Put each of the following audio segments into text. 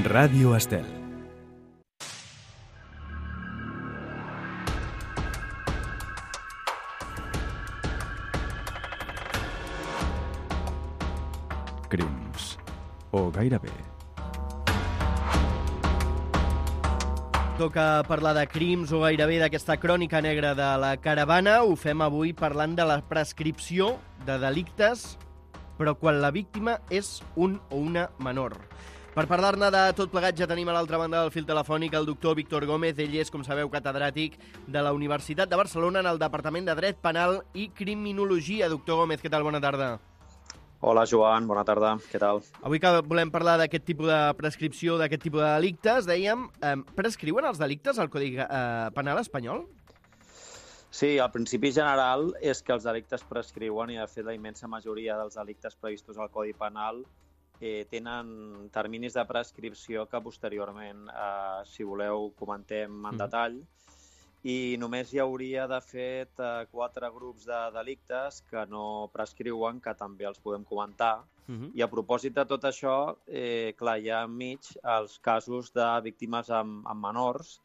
Ràdio Estel. Crims. O gairebé. Toca parlar de crims o gairebé d'aquesta crònica negra de la caravana. Ho fem avui parlant de la prescripció de delictes, però quan la víctima és un o una menor. Per parlar-ne de tot plegat ja tenim a l'altra banda del fil telefònic el doctor Víctor Gómez. Ell és, com sabeu, catedràtic de la Universitat de Barcelona en el Departament de Dret Penal i Criminologia. Doctor Gómez, què tal? Bona tarda. Hola, Joan. Bona tarda. Què tal? Avui que volem parlar d'aquest tipus de prescripció, d'aquest tipus de delictes, dèiem, prescriuen els delictes al Codi Penal espanyol? Sí, el principi general és que els delictes prescriuen i, de fet, la immensa majoria dels delictes previstos al Codi Penal tenen terminis de prescripció que posteriorment, si voleu, comentem en detall. I només hi hauria, de fet, 4 grups de delictes que no prescriuen, que també els podem comentar. I a propòsit de tot això, clar, hi ha enmig els casos de víctimes amb menors,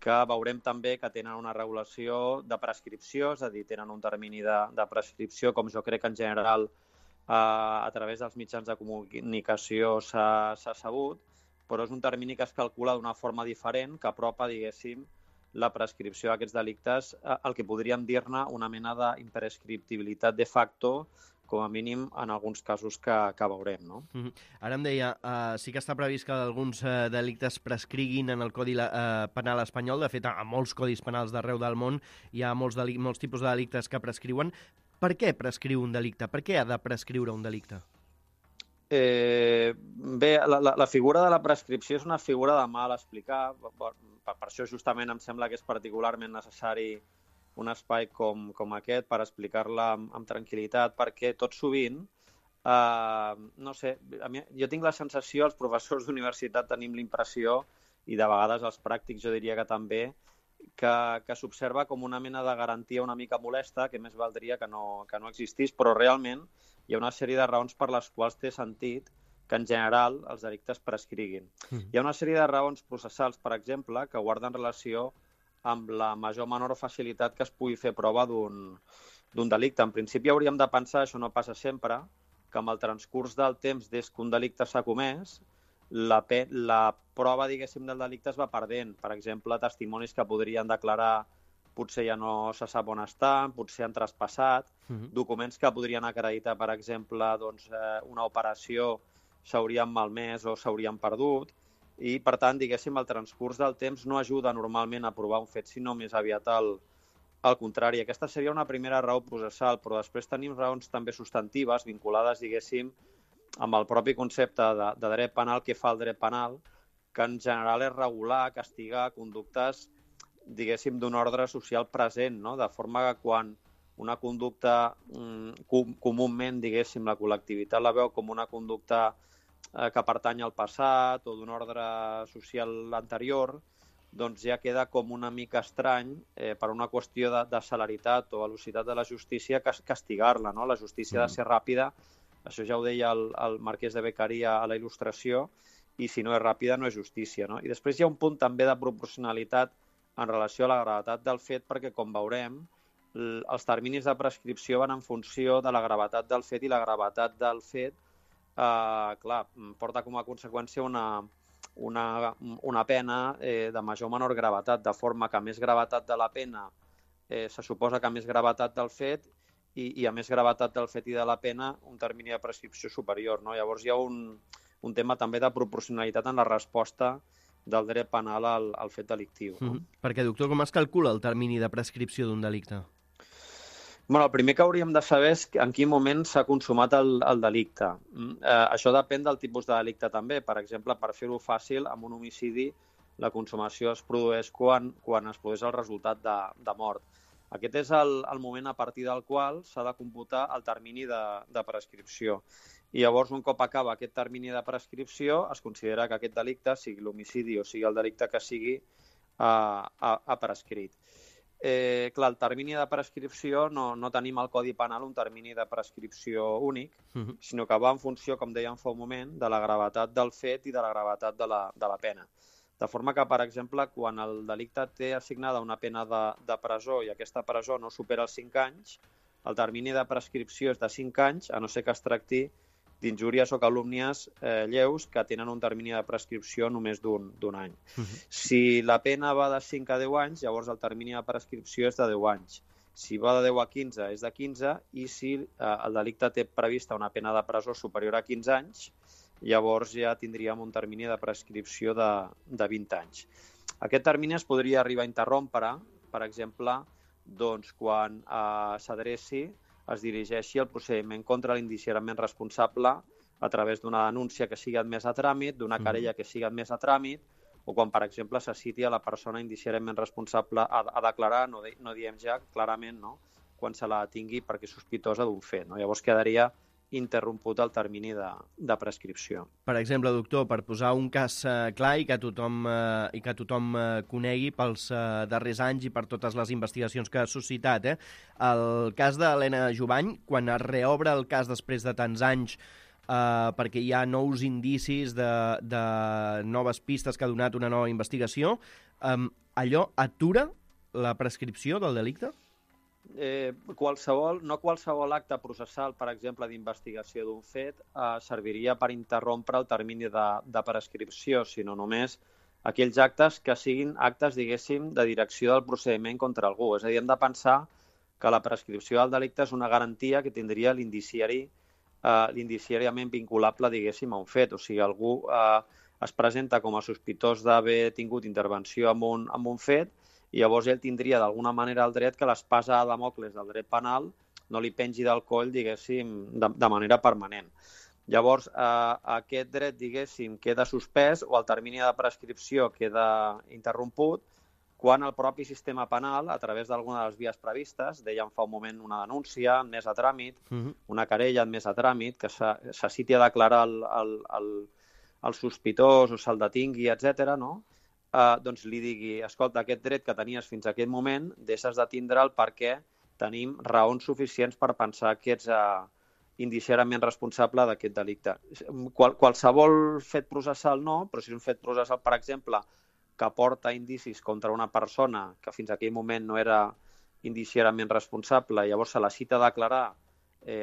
que veurem també que tenen una regulació de prescripció, és a dir, tenen un termini de prescripció, com jo crec que en general a través dels mitjans de comunicació s'ha sabut, però és un termini que es calcula d'una forma diferent, que apropa, diguéssim, la prescripció d'aquests delictes, el que podríem dir-ne una mena d'imprescriptibilitat de facto, com a mínim en alguns casos que veurem, no? Ara em deia, sí que està previst que alguns delictes prescriguin en el Codi Penal espanyol. De fet, a molts codis penals d'arreu del món hi ha molts tipus de delictes que prescriuen. Per què prescriu un delicte? Per què ha de prescriure un delicte? Bé, la figura de la prescripció és una figura de mal explicar. Per això justament em sembla que és particularment necessari un espai com aquest per explicar-la amb tranquil·litat, perquè tot sovint, no sé, jo tinc la sensació, els professors d'universitat tenim l'impressió, i de vegades els pràctics jo diria que també, que s'observa com una mena de garantia una mica molesta, que més valdria que no existís, però realment hi ha una sèrie de raons per les quals té sentit que en general els delictes prescriguin. Hi ha una sèrie de raons processals, per exemple, que guarden relació amb la major o menor facilitat que es pugui fer prova d'un delicte. En principi hauríem de pensar, això no passa sempre, que amb el transcurs del temps des que un delicte s'ha comès, la prova, diguéssim, del delicte es va perdent. Per exemple, testimonis que podrien declarar potser ja no se sap on estan, potser han traspassat, documents que podrien acreditar, per exemple, una operació s'haurien malmès o s'haurien perdut, i, per tant, diguéssim, el transcurs del temps no ajuda normalment a provar un fet, sinó més aviat al contrari. Aquesta seria una primera raó processal, però després tenim raons també substantives vinculades, diguéssim, amb el propi concepte de dret penal que fa el dret penal, que en general és regular, castigar conductes, diguéssim, d'un ordre social present, no? De forma que quan una conducta comúment, diguéssim, la col·lectivitat la veu com una conducta que pertany al passat o d'un ordre social anterior, doncs ja queda com una mica estrany per una qüestió de celeritat o velocitat de la justícia castigar-la, no? La justícia ha de ser ràpida, això ja ho deia el marquès de Beccaria a la Il·lustració, i si no és ràpida no és justícia, no? I després hi ha un punt també de proporcionalitat en relació a la gravetat del fet, perquè, com veurem, els terminis de prescripció van en funció de la gravetat del fet, i la gravetat del fet porta com a conseqüència una pena de major o menor gravetat, de forma que a més gravetat de la pena se suposa que a més gravetat del fet i a més gravetat del fet i de la pena un termini de prescripció superior, no? Llavors hi ha un tema també de proporcionalitat en la resposta del dret penal al fet delictiu. Perquè, doctor, com es calcula el termini de prescripció d'un delicte? Bueno, el primer que hauríem de saber és en quin moment s'ha consumat el delicte. Això depèn del tipus de delicte també. Per exemple, per fer-ho fàcil, amb un homicidi la consumació es produeix quan es produeix el resultat de mort. Aquest és el moment a partir del qual s'ha de computar el termini de prescripció. I llavors, un cop acaba aquest termini de prescripció, es considera que aquest delicte, sigui l'homicidi o sigui el delicte que sigui, ha prescrit. Clar, el termini de prescripció no tenim al Codi Penal un termini de prescripció únic, sinó que va en funció, com dèiem fa un moment, de la gravetat del fet i de la gravetat de la pena. De forma que, per exemple, quan el delicte té assignada una pena de presó i aquesta presó no supera els 5 anys, el termini de prescripció és de 5 anys, a no ser que es tracti d'injúries o calúmnies lleus que tenen un termini de prescripció només d'un any. Si la pena va de 5 a 10 anys, llavors el termini de prescripció és de 10 anys. Si va de 10 a 15, és de 15, i si el delicte té prevista una pena de presó superior a 15 anys, llavors ja tindríem un termini de prescripció de 20 anys. Aquest termini es podria arribar a interrompre, per exemple, doncs, quan s'adreci, es dirigeixi el procediment contra l'indiciarament responsable a través d'una denúncia que sigui admesa a tràmit, d'una querella que sigui admesa a tràmit, o quan, per exemple, se citi a la persona indiciarament responsable a declarar, no diem ja clarament, no?, quan se la tingui perquè és sospitosa d'un fet. No? Llavors quedaria interromput el termini de prescripció. Per exemple, doctor, per posar un cas clar i que tothom conegui pels darrers anys i per totes les investigacions que ha suscitat, el cas d'Helena Jubany, quan es reobre el cas després de tants anys perquè hi ha nous indicis de noves pistes que ha donat una nova investigació, allò atura la prescripció del delicte? No qualsevol acte processal, per exemple, d'investigació d'un fet, serviria per interrompre el termini de prescripció, sinó només aquells actes que siguin actes, diguéssim, de direcció del procediment contra algú. És a dir, hem de pensar que la prescripció del delicte és una garantia que tindria l'indiciariament vinculable, diguéssim, a un fet. O sigui, algú es presenta com a sospitós d'haver tingut intervenció en un fet, i llavors ell tindria d'alguna manera el dret que l'espasa de Dàmocles del dret penal no li pengi del coll, diguéssim, de manera permanent. Llavors, aquest dret, diguéssim, queda suspès o el termini de prescripció queda interromput quan el propi sistema penal, a través d'alguna de les vies previstes, dèiem fa un moment una denúncia admesa a tràmit, una querella admesa a tràmit, que se citi a declarar el sospitós o se'l detingui, etc., no?, doncs li digui, escolta, aquest dret que tenies fins a aquest moment, deixes de tindre'l perquè tenim raons suficients per pensar que ets indiciarament responsable d'aquest delicte. Qualsevol fet processal no, però si és un fet processal, per exemple, que porta indicis contra una persona que fins a aquell moment no era indiciarament responsable, llavors se la cita a declarar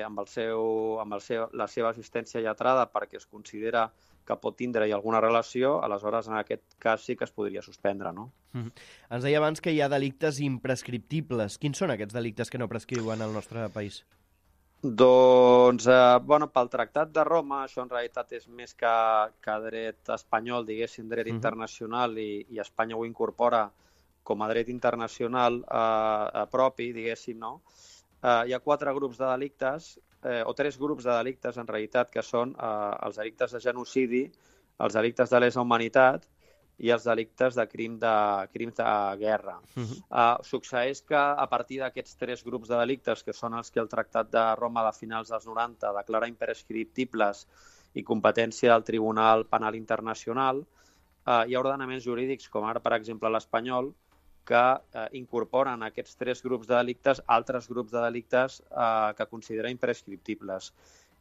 amb la seva assistència lletrada perquè es considera que pot tindre-hi alguna relació, aleshores en aquest cas sí que es podria suspendre, no? Ens deia abans que hi ha delictes imprescriptibles. Quins són aquests delictes que no prescriuen al nostre país? Doncs, pel Tractat de Roma, això en realitat és més que dret espanyol, diguéssim, dret internacional, i Espanya ho incorpora com a dret internacional propi, diguéssim, no? Hi ha 4 grups de delictes, o 3 grups de delictes, en realitat, que són els delictes de genocidi, els delictes de lesa humanitat i els delictes de crims de guerra. Succeeix que a partir d'aquests 3 grups de delictes, que són els que el Tractat de Roma de finals dels 90 declara imprescriptibles i competència del Tribunal Penal Internacional, hi ha ordenaments jurídics, com ara, per exemple, l'espanyol, que incorporen aquests 3 grups de delictes altres grups de delictes que considera imprescriptibles.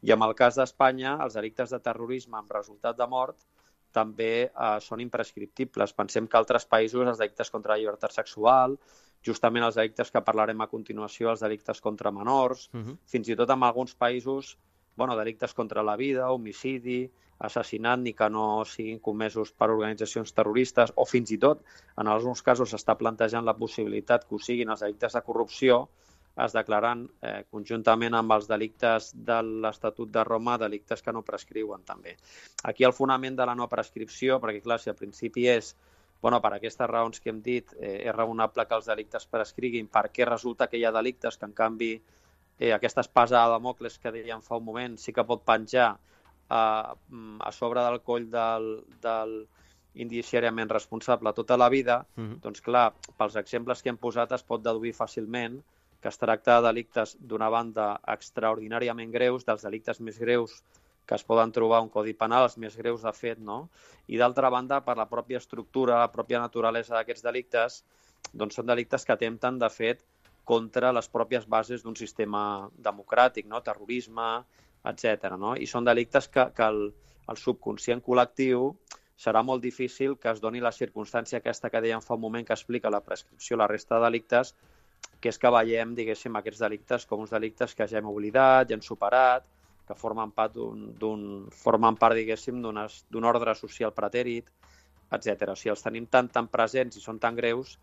I en el cas d'Espanya, els delictes de terrorisme amb resultat de mort també són imprescriptibles. Pensem que altres països, els delictes contra la llibertat sexual, justament els delictes que parlarem a continuació, els delictes contra menors, fins i tot en alguns països, delictes contra la vida, homicidi, assassinat, ni que no siguin comesos per organitzacions terroristes, o fins i tot, en alguns casos s'està plantejant la possibilitat que ho siguin els delictes de corrupció, es declaren conjuntament amb els delictes de l'Estatut de Roma delictes que no prescriuen també. Aquí el fonament de la no prescripció, perquè clar, si al principi és, per aquestes raons que hem dit, és raonable que els delictes prescriguin, perquè resulta que hi ha delictes que en canvi aquesta espasa de Dàmocles que dèiem fa un moment sí que pot penjar a sobre del coll del indiciariament responsable tota la vida, doncs clar, pels exemples que hem posat es pot deduir fàcilment que es tracta de delictes d'una banda extraordinàriament greus, dels delictes més greus que es poden trobar a un codi penal, els més greus de fet, no? I d'altra banda, per la pròpia estructura, la pròpia naturalesa d'aquests delictes, doncs són delictes que atempten, de fet, contra les pròpies bases d'un sistema democràtic, no? Terrorisme, etc. No? I són delictes que el subconscient col·lectiu serà molt difícil que es doni la circumstància aquesta que dèiem fa un moment que explica la prescripció, la resta de delictes, que és que veiem, diguéssim, aquests delictes com uns delictes que ja hem oblidat, ja hem superat, que formen part, diguéssim, d'un ordre social pretèrit, etc. O sigui, els tenim tan presents i són tan greus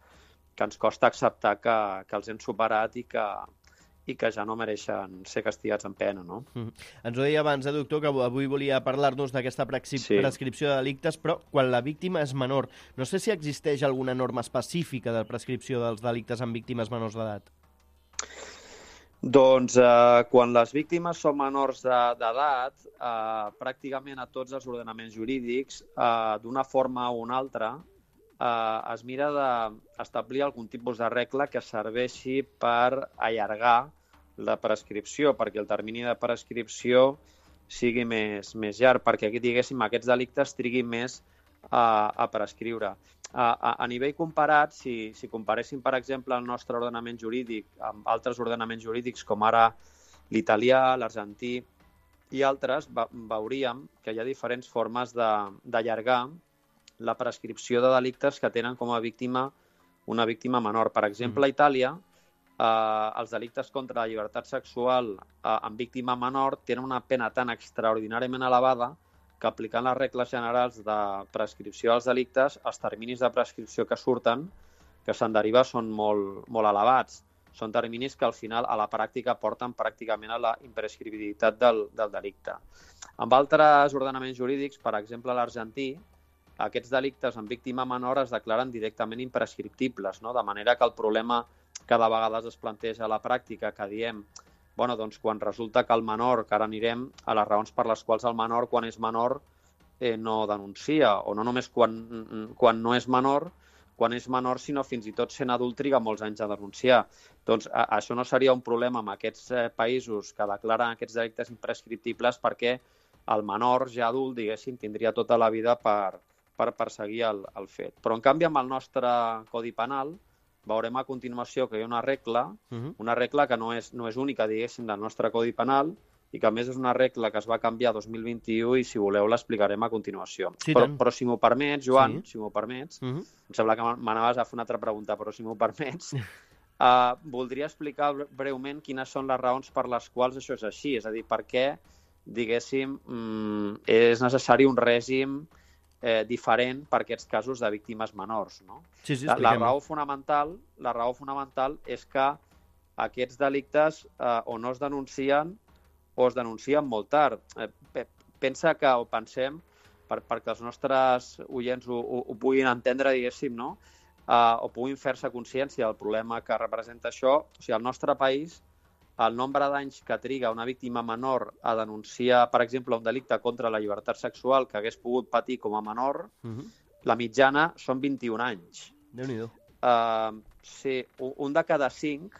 que ens costa acceptar que els hem superat i que ja no mereixen ser castigats amb pena, no? Ens ho deia abans, doctor, que avui volia parlar-nos d'aquesta prescripció de delictes, però quan la víctima és menor. No sé si existeix alguna norma específica de prescripció dels delictes amb víctimes menors d'edat. Doncs quan les víctimes són menors d'edat, pràcticament a tots els ordenaments jurídics, d'una forma o una altra, es mira d'establir algun tipus de regla que serveixi per allargar la prescripció, perquè el termini de prescripció sigui més llarg, perquè aquí, diguéssim, aquests delictes triguin més a prescriure. A nivell comparat, si comparéssim, per exemple, el nostre ordenament jurídic amb altres ordenaments jurídics, com ara l'italià, l'argentí i altres, veuríem que hi ha diferents formes d'allargar la prescripció de delictes que tenen com a víctima una víctima menor. Per exemple, a Itàlia, els delictes contra la llibertat sexual amb víctima menor tenen una pena tan extraordinàriament elevada que aplicant les regles generals de prescripció dels delictes, els terminis de prescripció que surten, que se'n deriva, són molt elevats. Són terminis que al final a la pràctica porten pràcticament a la imprescriptibilitat del delicte. Amb altres ordenaments jurídics, per exemple l'argentí, aquests delictes amb víctima menor es declaren directament imprescriptibles, no? De manera que el problema que de vegades es planteja a la pràctica, que diem, bueno, doncs quan resulta que el menor, que ara anirem a les raons per les quals el menor, quan és menor, no denuncia, o no només quan no és menor, sinó fins i tot sent adult triga molts anys a denunciar. Doncs això no seria un problema amb aquests països que declaren aquests delictes imprescriptibles, perquè el menor ja adult, diguéssim, tindria tota la vida per perseguir el fet. Però, en canvi, amb el nostre Codi Penal, veurem a continuació que hi ha una regla que no és única, diguéssim, del nostre Codi Penal, i que a més és una regla que es va canviar 2021 i, si voleu, l'explicarem a continuació. Sí, però si m'ho permets, Joan, si m'ho permets, em sembla que m'anaves a fer una altra pregunta, però si m'ho permets, voldria explicar breument quines són les raons per les quals això és així, és a dir, per què, diguéssim, és necessari un règim diferent per aquests casos de víctimes menors, no? Sí, la raó fonamental és que aquests delictes o no es denuncien o es denuncien molt tard. Pensem, perquè els nostres oients ho puguin entendre, diguéssim, no? O puguin fer-se consciència del problema que representa això. O sigui, al nostre país, el nombre d'anys que triga una víctima menor a denunciar, per exemple, un delicte contra la llibertat sexual que hagués pogut patir com a menor, la mitjana són 21 anys. Déu-n'hi-do. Sí, un de cada cinc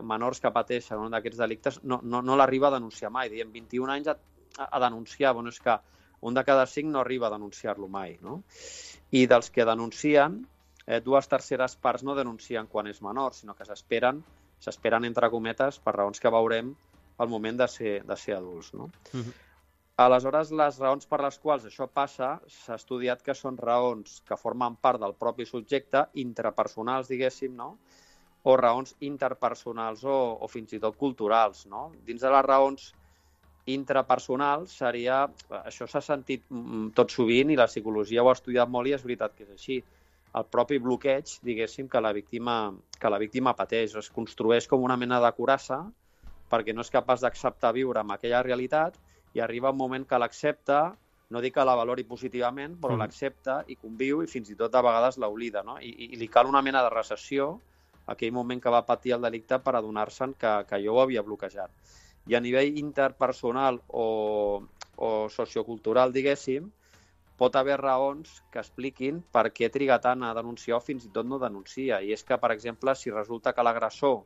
menors que pateixen un d'aquests delictes no l'arriba a denunciar mai. Diem 21 anys a denunciar. Bueno, és que un de cada 5 no arriba a denunciar-lo mai, no? I dels que denuncien, 2/3 parts no denuncien quan és menor, sinó que s'esperen, entre cometes, per raons que veurem al moment de ser adults, no? Aleshores, les raons per les quals això passa, s'ha estudiat que són raons que formen part del propi subjecte, intrapersonals, diguéssim, no? O raons interpersonals o fins i tot culturals, no? Dins de les raons intrapersonals seria... Això s'ha sentit tot sovint i la psicologia ho ha estudiat molt i és veritat que és així. El propi bloqueig, diguéssim, que la víctima pateix. Es construeix com una mena de coraça perquè no és capaç d'acceptar viure amb aquella realitat i arriba un moment que l'accepta, no dic que la valori positivament, però l'accepta i conviu i fins i tot de vegades l'oblida, no? I li cal una mena de recessió, aquell moment que va patir el delicte, per adonar-se'n que allò ho havia bloquejat. I a nivell interpersonal o sociocultural, diguéssim, pot haver raons que expliquin per què triga tant a denunciar o fins i tot no denuncia. I és que, per exemple, si resulta que l'agressor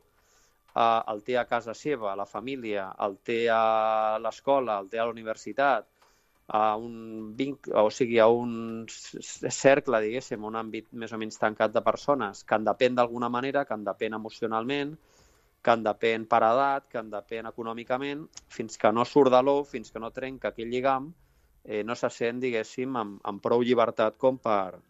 el té a casa seva, a la família, el té a l'escola, el té a la universitat, a un vincle, o sigui, a un cercle, diguéssim, un àmbit més o menys tancat de persones que en depèn d'alguna manera, que en depèn emocionalment, que en depèn per edat, que en depèn econòmicament, fins que no surt de l'ou, fins que no trenca aquell lligam, no se sent, diguéssim, amb prou llibertat com per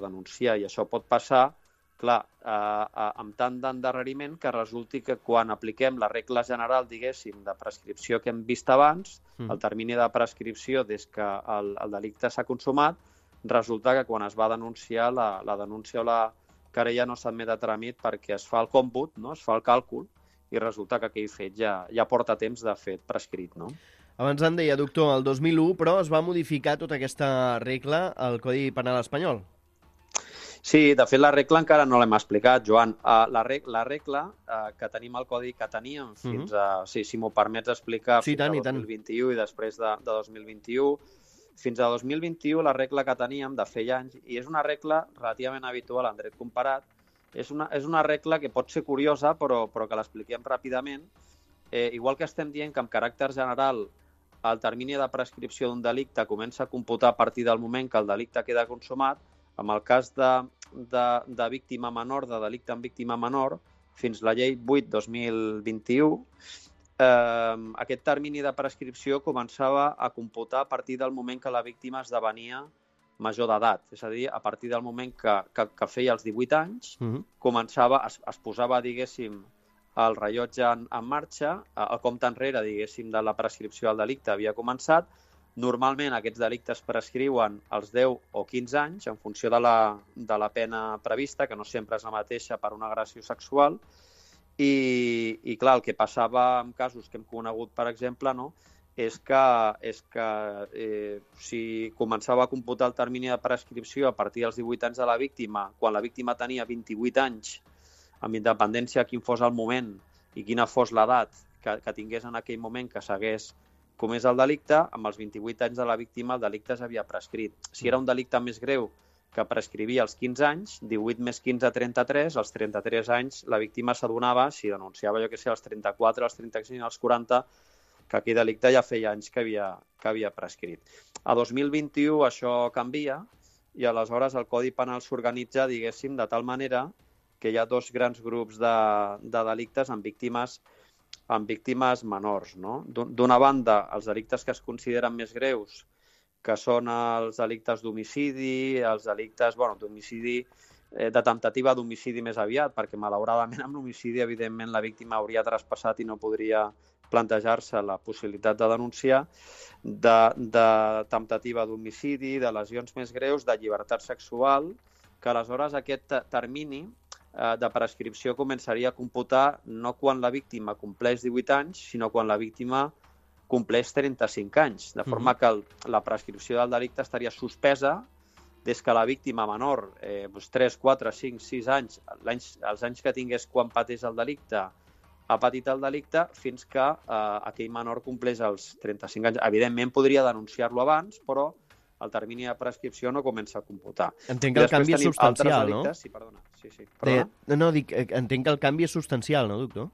denunciar. I això pot passar, clar, amb tant d'endarreriment que resulti que quan apliquem la regla general, diguéssim, de prescripció que hem vist abans, el termini de prescripció des que el delicte s'ha consumat, resulta que quan es va denunciar, la denúncia o la querella no s'admet a tràmit perquè es fa el còmput, no? Es fa el càlcul, i resulta que aquell fet ja porta temps de fet prescrit, no? Abans en deia, doctor, el 2001, però es va modificar tota aquesta regla al Codi Penal espanyol. Sí, de fet la regla encara no l'hem explicat, Joan. La regla que tenim al Codi, que teníem fins a, si m'ho permets explicar, sí, fins a 2021 i després de 2021, fins a 2021 la regla que teníem de feia anys, i és una regla relativament habitual en dret comparat, és una regla que pot ser curiosa, però que l'expliquem ràpidament. Igual que estem dient que amb caràcter general el termini de prescripció d'un delicte comença a computar a partir del moment que el delicte queda consumat, en el cas de víctima menor, de delicte amb víctima menor, fins la llei 8/2021, aquest termini de prescripció començava a computar a partir del moment que la víctima esdevenia major d'edat. És a dir, a partir del moment que feia els 18 anys, es posava, diguéssim, el rellotge en marxa, el compte enrere, diguéssim, de la prescripció del delicte havia començat. Normalment aquests delictes prescriuen als 10 o 15 anys en funció de la pena prevista, que no sempre és la mateixa per una agressió sexual. I clar, el que passava en casos que hem conegut, per exemple, no, és que si començava a computar el termini de prescripció a partir dels 18 anys de la víctima, quan la víctima tenia 28 anys, amb independència de quin fos el moment i quina fos l'edat que tingués en aquell moment que s'hagués comès el delicte, amb els 28 anys de la víctima el delicte s'havia prescrit. Si era un delicte més greu que prescrivia als 15 anys, 18 més 15, 33, als 33 anys la víctima s'adonava, si denunciava, jo que sé, als 34, als 35, als 40, que aquell delicte ja feia anys que havia prescrit. A 2021 això canvia i aleshores el Codi Penal s'organitza, diguéssim, de tal manera que hi ha dos grans grups de delictes amb víctimes menors, no? D'una banda, els delictes que es consideren més greus, que són els delictes d'homicidi, els delictes d'homicidi, de temptativa d'homicidi més aviat, perquè malauradament amb l'homicidi, evidentment, la víctima hauria traspassat i no podria plantejar-se la possibilitat de denunciar, de temptativa d'homicidi, de lesions més greus, de llibertat sexual, que aleshores aquest termini de prescripció començaria a computar no quan la víctima compleix 18 anys, sinó quan la víctima compleix 35 anys, de forma que la prescripció del delicte estaria suspesa des que la víctima menor, 3, 4, 5, 6 anys, els anys que tingués quan pateix el delicte, ha patit el delicte, fins que aquell menor compleix els 35 anys. Evidentment podria denunciar-lo abans, però el termini de prescripció no comença a computar. Entenc que el canvi és substancial, no? Sí, perdona. Perdona? No, entenc que el canvi és substancial, no, doctor?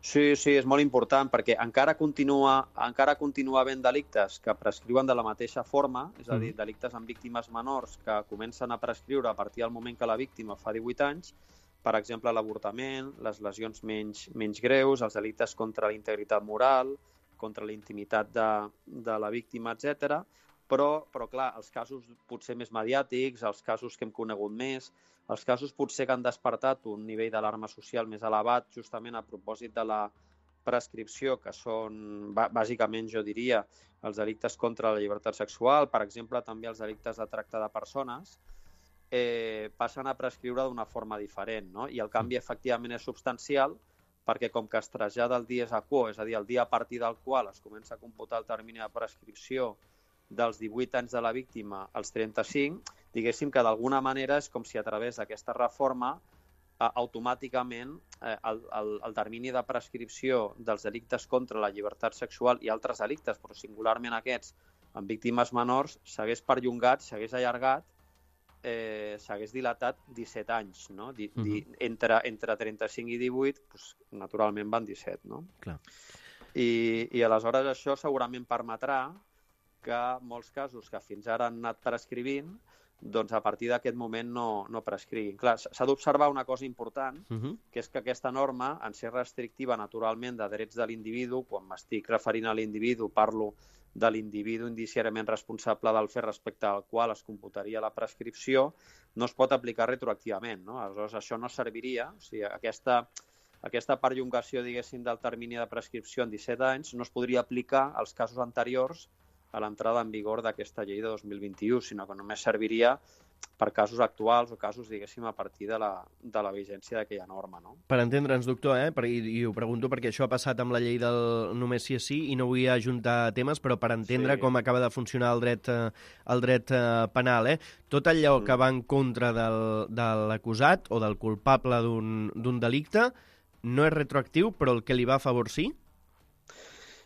Sí, és molt important, perquè encara continua havent delictes que prescriuen de la mateixa forma, és a dir, delictes amb víctimes menors que comencen a prescriure a partir del moment que la víctima fa 18 anys, per exemple, l'avortament, les lesions menys greus, els delictes contra la integritat moral, contra la intimitat de la víctima, etc. Però clar, els casos potser més mediàtics, els casos que hem conegut més, els casos potser que han despertat un nivell d'alarma social més elevat justament a propòsit de la prescripció, que són bàsicament, jo diria, els delictes contra la llibertat sexual, per exemple, també els delictes de tracte de persones, passen a prescriure d'una forma diferent, no? I el canvi efectivament és substancial perquè com que es trasllada el dies a quo, és a dir, el dia a partir del qual es comença a computar el termini de prescripció dels 18 anys de la víctima als 35, diguéssim que d'alguna manera és com si a través d'aquesta reforma automàticament el termini de prescripció dels delictes contra la llibertat sexual i altres delictes, però singularment aquests amb víctimes menors, s'hagués perllongat, s'hagués allargat, s'hagués dilatat 17 anys, no? Entre 35 i 18, doncs, naturalment van 17, no? Clar. I aleshores això segurament permetrà que molts casos que fins ara han anat prescrivint, doncs a partir d'aquest moment no prescriguin. Clar, s'ha d'observar una cosa important, que és que aquesta norma, en ser restrictiva naturalment de drets de l'individu, quan m'estic referint a l'individu, parlo de l'individu indiciàriament responsable del fet respecte al qual es computaria la prescripció, no es pot aplicar retroactivament, no? Aleshores, això no serviria, o sigui, aquesta perllongació, diguéssim, del termini de prescripció en 17 anys no es podria aplicar als casos anteriors a l'entrada en vigor d'aquesta llei de 2021, sinó que només serviria per casos actuals o casos, diguéssim, a partir de la vigència d'aquella norma. No? Per entendre'ns, doctor, i ho pregunto perquè això ha passat amb la llei del només sí és sí i no vull ajuntar temes, però per entendre com acaba de funcionar el dret penal. Tot allò que va en contra de l'acusat o del culpable d'un delicte no és retroactiu, però el que li va a favor sí?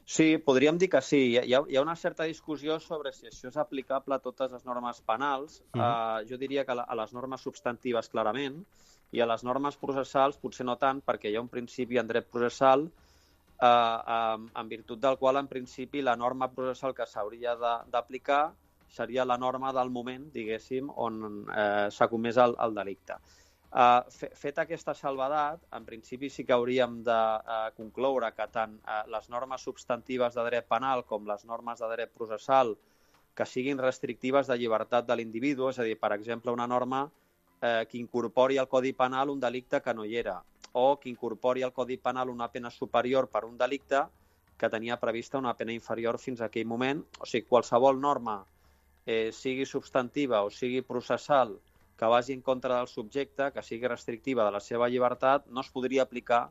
Sí, podríem dir que sí. Hi ha una certa discussió sobre si això és aplicable a totes les normes penals. Jo diria que a les normes substantives clarament i a les normes processals potser no tant, perquè hi ha un principi en dret processal en virtut del qual, en principi, la norma processal que s'hauria d'aplicar seria la norma del moment, diguéssim, on s'ha comès el delicte. Fet aquesta salvadat, en principi sí que hauríem de concloure que tant les normes substantives de dret penal com les normes de dret processal que siguin restrictives de llibertat de l'individu, és a dir, per exemple, una norma que incorpori al Codi Penal un delicte que no hi era, o que incorpori al Codi Penal una pena superior per un delicte que tenia prevista una pena inferior fins a aquell moment. O sigui, qualsevol norma, sigui substantiva o sigui processal, que vagi en contra del subjecte, que sigui restrictiva de la seva llibertat, no es podria aplicar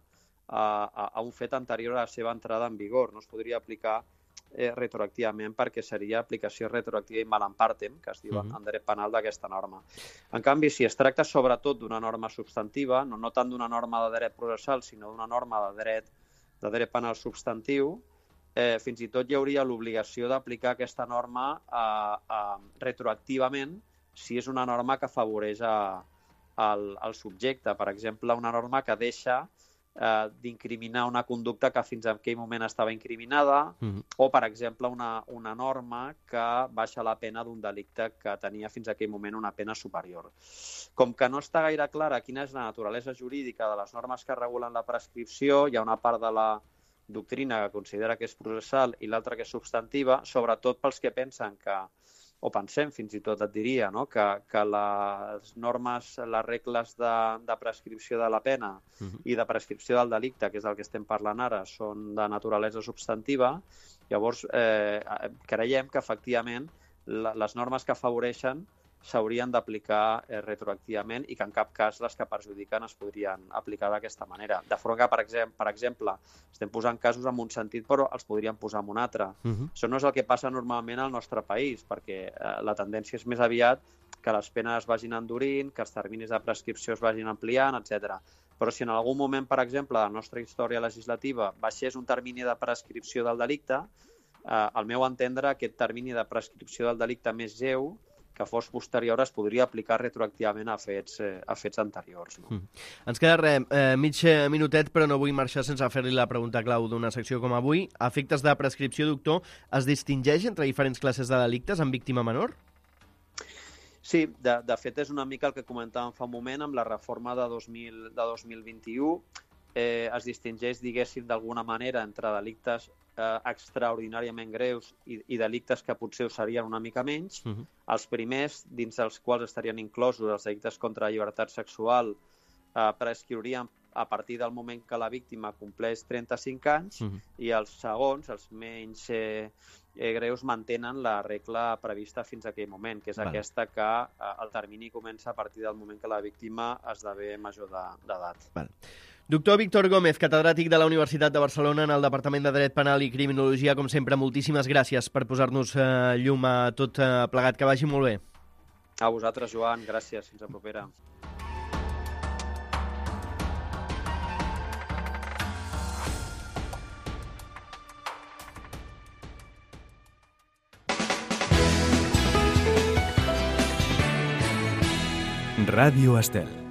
a un fet anterior a la seva entrada en vigor. No es podria aplicar retroactivament perquè seria aplicació retroactiva in malam partem, que es diu en dret penal d'aquesta norma. En canvi, si es tracta sobretot d'una norma substantiva, no tant d'una norma de dret processal, sinó d'una norma de dret penal substantiu, fins i tot hi hauria l'obligació d'aplicar aquesta norma retroactivament si és una norma que afavoreix el subjecte. Per exemple, una norma que deixa d'incriminar una conducta que fins a aquell moment estava incriminada, o, per exemple, una norma que baixa la pena d'un delicte que tenia fins a aquell moment una pena superior. Com que no està gaire clara quina és la naturalesa jurídica de les normes que regulen la prescripció, hi ha una part de la doctrina que considera que és processal i l'altra que és substantiva, sobretot pels que pensen que o pensem fins i tot, et diria, no? que les normes, les regles de prescripció de la pena i de prescripció del delicte, que és el que estem parlant ara, són de naturalesa substantiva. Llavors, creiem que, efectivament, les normes que afavoreixen s'haurien d'aplicar retroactivament i que en cap cas les que perjudiquen es podrien aplicar d'aquesta manera. De forma que, per exemple, estem posant casos en un sentit però els podríem posar en un altre. Això no és el que passa normalment al nostre país, perquè la tendència és més aviat que les penes vagin endurint, que els terminis de prescripció es vagin ampliant, etc. Però si en algun moment, per exemple, de la nostra història legislativa baixés un termini de prescripció del delicte, al meu entendre, aquest termini de prescripció del delicte més lleu que fos posterior es podria aplicar retroactivament a fets anteriors. No? Ens queda mig minutet, però no vull marxar sense fer-li la pregunta clau d'una secció com avui. A efectes de prescripció, doctor, es distingeix entre diferents classes de delictes en víctima menor? Sí, de fet és una mica el que comentàvem fa un moment amb la reforma de 2021. Es distingeix, diguéssim, d'alguna manera entre delictes extraordinàriament greus i delictes que potser ho serien una mica menys. Els primers, dins dels quals estarien inclosos els delictes contra la llibertat sexual, prescriurien a partir del moment que la víctima compleix 35 anys i els segons, els menys greus, mantenen la regla prevista fins a aquell moment, que és aquesta que el termini comença a partir del moment que la víctima esdevé major d'edat. Doctor Víctor Gómez, catedràtic de la Universitat de Barcelona en el Departament de Dret Penal i Criminologia, com sempre, moltíssimes gràcies per posar-nos llum a tot plegat. Que vagi molt bé. A vosaltres, Joan. Gràcies. Fins la propera. Ràdio Estel.